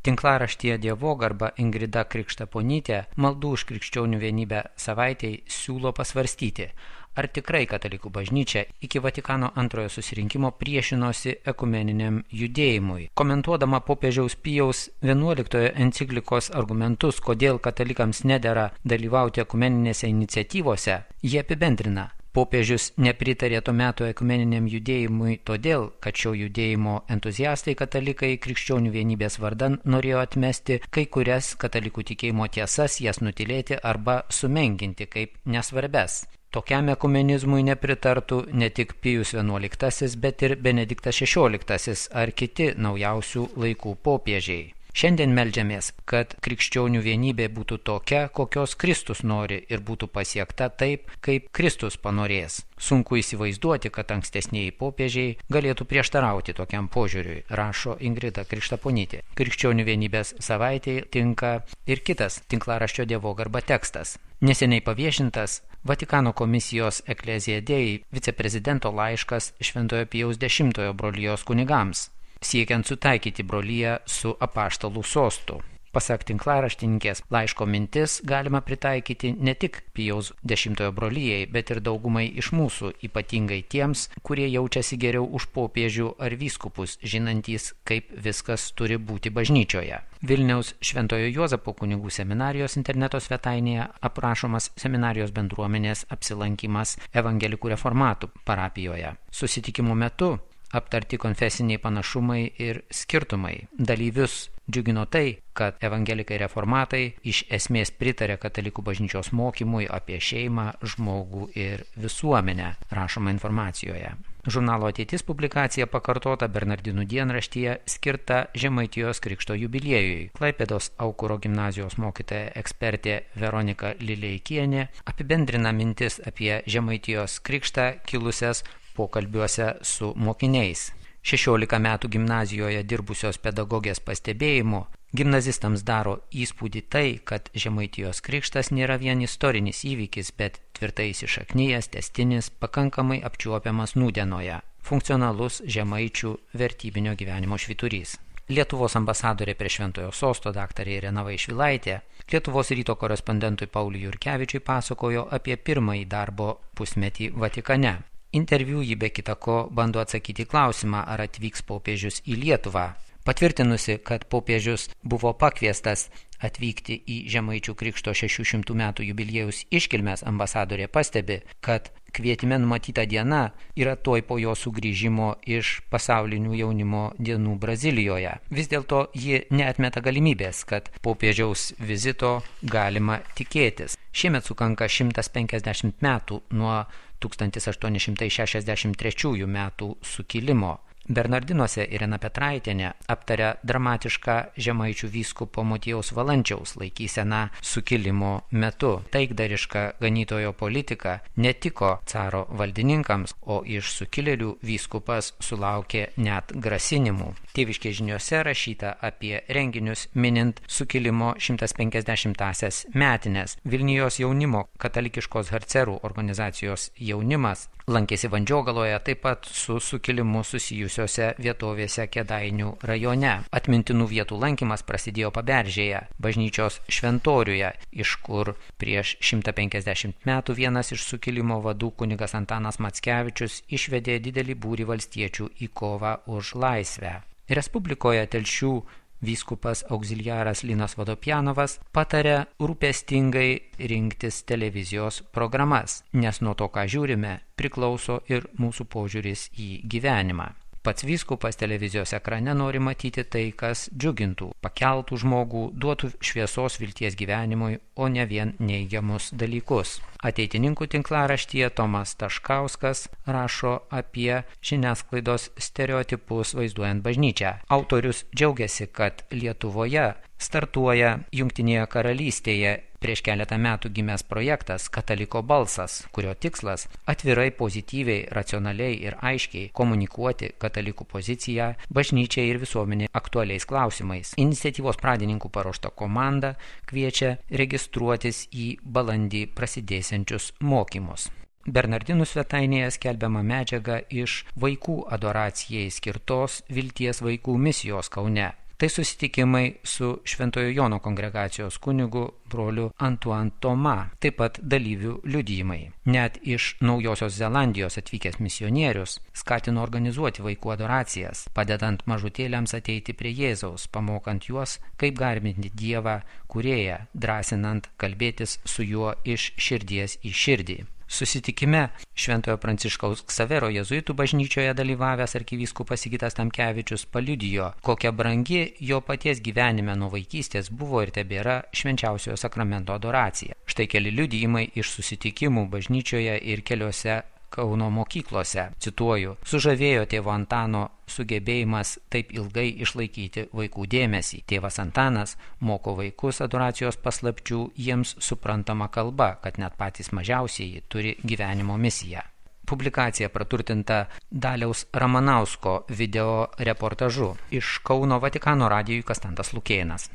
Tinklaraštyje Dievogarba Ingrida Krikštaponytė maldų už krikščionių vienybę savaitei siūlo pasvarstyti, ar tikrai katalikų bažnyčia iki Vatikano antrojo susirinkimo priešinosi ekumeniniam judėjimui. Komentuodama popiežiaus Pijaus XI enciklikos argumentus, kodėl katalikams nedera dalyvauti ekumeninėse iniciatyvose, jie apibendrina. Popiežius nepritarė to meto ekumeniniam judėjimui todėl, kad šio judėjimo entuziastai katalikai krikščionių vienybės vardan norėjo atmesti kai kurias katalikų tikėjimo tiesas, jas nutilėti arba sumenkinti kaip nesvarbes. Tokiam ekumenizmui nepritartų ne tik Pijus XI, bet ir Benediktas XVI ar kiti naujausių laikų popiežiai. Šiandien meldžiamės, kad krikščionių vienybė būtų tokia, kokios Kristus nori ir būtų pasiekta taip, kaip Kristus panorės. Sunku įsivaizduoti, kad ankstesnieji popiežiai galėtų prieštarauti tokiam požiūriui, rašo Ingrida Krikštaponytė. Krikščionių vienybės savaitėje tinka ir kitas tinklaraščio Dievogarba tekstas. Neseniai paviešintas Vatikano komisijos Ecclesiae Dei viceprezidento laiškas Šventojo Pijaus X brolijos kunigams, siekiant sutaikyti broliją su apaštalų sostu. Pasak tinklaraštininkės, laiško mintis galima pritaikyti ne tik Pijaus X brolijai, bet ir daugumai iš mūsų, ypatingai tiems, kurie jaučiasi geriau už popiežių ar vyskupus, žinantys, kaip viskas turi būti bažnyčioje. Vilniaus Šventojo Juozapo kunigų seminarijos interneto svetainėje aprašomas seminarijos bendruomenės apsilankimas evangelikų reformatų parapijoje. Susitikimo metu aptarti konfesiniai panašumai ir skirtumai. Dalyvius džiugino tai, kad evangelikai reformatai iš esmės pritarė katalikų bažnyčios mokymui apie šeimą, žmogų ir visuomenę, rašoma informacijoje. Žurnalo Ateitis publikacija pakartota Bernardinų dienraštyje skirta Žemaitijos krikšto jubiliejui. Klaipėdos Aukuro gimnazijos mokytoja ekspertė Veronika Lileikienė apibendrina mintis apie Žemaitijos krikštą kilusias pokalbiuose su mokiniais. 16 metų gimnazijoje dirbusios pedagogės pastebėjimu, gimnazistams daro įspūdį tai, kad Žemaitijos krikštas nėra vien istorinis įvykis, bet tvirtai įsišaknyjęs, tęstinis, pakankamai apčiuopiamas nūdienoje, funkcionalus žemaičių vertybinio gyvenimo švyturys. Lietuvos ambasadorė prie Šventojo sosto daktarė Irena Vaišvilaitė Lietuvos ryto korespondentui Pauliui Jurkevičiui pasakojo apie pirmąjį darbo pusmetį Vatikane. Interviu jį be kitako bando atsakyti klausimą, ar atvyks popiežius į Lietuvą. Patvirtinusi, kad popiežius buvo pakviestas atvykti į Žemaičių krikšto 600 metų jubiliejaus iškilmes, ambasadorė pastebi, kad kvietime numatyta diena yra tuoj po jo sugrįžimo iš pasaulinių jaunimo dienų Brazilijoje. Vis dėlto ji neatmeta galimybės, kad popiežiaus vizito galima tikėtis. Šiemet sukanka 150 metų nuo 1863 metų sukilimo. Bernardinuose Irena Petraitienė aptaria dramatišką žemaičių vyskupo Motiejaus Valančiaus laikyseną sukilimo metu. Taikdariška ganytojo politika netiko caro valdininkams, o iš sukilėlių vyskupas sulaukė net grasinimų. Tėviškės žiniose rašyta apie renginius minint sukilimo 150-asias metines. Vilnijos jaunimo katalikiškos harcerų organizacijos jaunimas lankėsi Vandžiogaloje, taip pat su sukilimu susijusiose vietovėse Kėdainių rajone. Atmintinų vietų lankymas prasidėjo Paberžėje, bažnyčios šventoriuje, iš kur prieš 150 metų vienas iš sukilimo vadų kunigas Antanas Mackevičius išvedė didelį būrį valstiečių į kovą už laisvę. Respublikoje Telšių vyskupas auxiliaras Linas Vodopjanovas patarė rūpestingai rinktis televizijos programas, nes nuo to, ką žiūrime, priklauso ir mūsų požiūris į gyvenimą. Pats vyskupas televizijos ekrane nori matyti tai, kas džiugintų, pakeltų žmogų, duotų šviesos vilties gyvenimui, o ne vien neigiamus dalykus. Ateitininkų tinklaraštyje Tomas Taškauskas rašo apie žiniasklaidos stereotipus vaizduojant bažnyčią. Autorius džiaugiasi, kad Lietuvoje startuoja Jungtinėje karalystėje prieš keletą metų gimęs projektas Kataliko balsas, kurio tikslas atvirai, pozityviai, racionaliai ir aiškiai komunikuoti katalikų poziciją bažnyčiai ir visuomenė aktualiais klausimais. Iniciatyvos pradininkų paruošta komanda kviečia registruotis į balandį prasidėsiančius mokymus. Bernardinų svetainėje skelbiama medžiaga iš vaikų adoracijai skirtos Vilties vaikų misijos Kaune. Tai susitikimai su Šventojo Jono kongregacijos kunigu broliu Antoine Thomas, taip pat dalyvių liudijimai. Net iš Naujosios Zelandijos atvykęs misionierius skatino organizuoti vaikų adoracijas, padedant mažutėliams ateiti prie Jėzaus, pamokant juos, kaip garbinti Dievą Kūrėją, drąsinant kalbėtis su juo iš širdies į širdį. Susitikime Šventojo Pranciškaus Ksavero jėzuitų bažnyčioje dalyvavęs arkivyskupas Sigitas Tamkevičius paliudijo, kokia brangi jo paties gyvenime nuo vaikystės buvo ir tebėra švenčiausiojo sakramento adoracija. Štai keli liudijimai iš susitikimų bažnyčioje ir keliose Kauno mokyklose. Cituoju, sužavėjo tėvo Antano sugebėjimas taip ilgai išlaikyti vaikų dėmesį. Tėvas Antanas moko vaikus adoracijos paslapčių jiems suprantama kalba, kad net patys mažiausieji turi gyvenimo misiją. Publikacija praturtinta Daliaus Ramanausko video reportažu. Iš Kauno Vatikano radijui Kastantas Lukėnas.